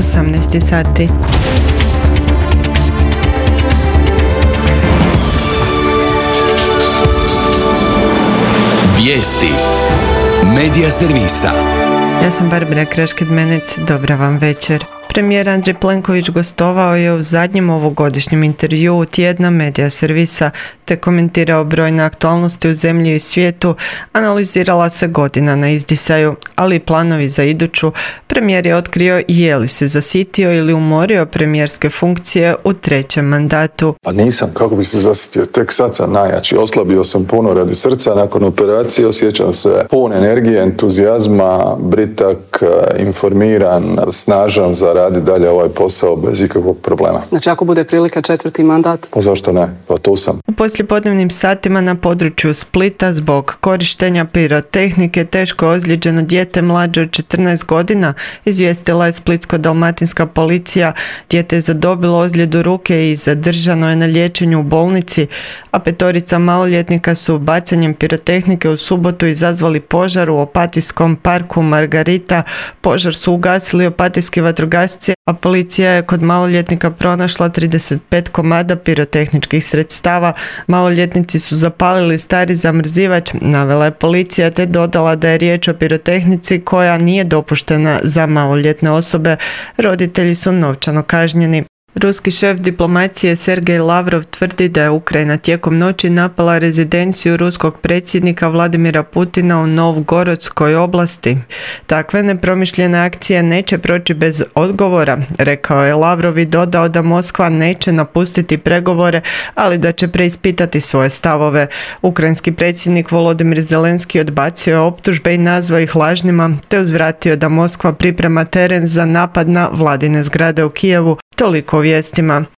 18 sati. Vijesti Medija servisa. Ja sam Barbara Kraškid-Menec, dobra vam večer. Premijer Andrej Plenković gostovao je u zadnjem ovogodišnjem intervjuu tjedna Medija servisa te komentirao brojne aktualnosti u zemlji i svijetu, analizirala se godina na izdisaju, ali i planovi za iduću. Premijer je otkrio je li se zasitio ili umorio premijerske funkcije u trećem mandatu. Pa nisam, kako bi se zasitio, tek sad sam najjači, oslabio sam puno radi srca, nakon operacije osjećam se pun energije, entuzijazma, britak, informiran, snažan za raditi dalje ovaj posao bez ikakvog problema. Znači ako bude prilika 4. mandat? Pa zašto ne? Pa tu sam. U poslijepodnevnim satima na području Splita zbog korištenja pirotehnike teško ozlijeđeno dijete mlađe od 14 godina, izvijestila je splitsko-dalmatinska policija. Dijete je zadobilo ozljedu ruke i zadržano je na liječenju u bolnici, a 5 maloljetnika su bacanjem pirotehnike u subotu izazvali požar u Opatijskom parku Margarita. Požar su ugasili opatijski vatrogasci, a policija je kod maloljetnika pronašla 35 komada pirotehničkih sredstava. Maloljetnici su zapalili stari zamrzivač, navela je policija, te dodala da je riječ o pirotehnici koja nije dopuštena za maloljetne osobe. Roditelji su novčano kažnjeni. Ruski šef diplomacije Sergej Lavrov tvrdi da je Ukrajina tijekom noći napala rezidenciju ruskog predsjednika Vladimira Putina u Novgorodskoj oblasti. Takve nepromišljene akcije neće proći bez odgovora, rekao je Lavrov i dodao da Moskva neće napustiti pregovore, ali da će preispitati svoje stavove. Ukrajinski predsjednik Volodimir Zelenski odbacio je optužbe i nazvao ih lažnima, te uzvratio da Moskva priprema teren za napad na vladine zgrade u Kijevu. Toliko o vijestima.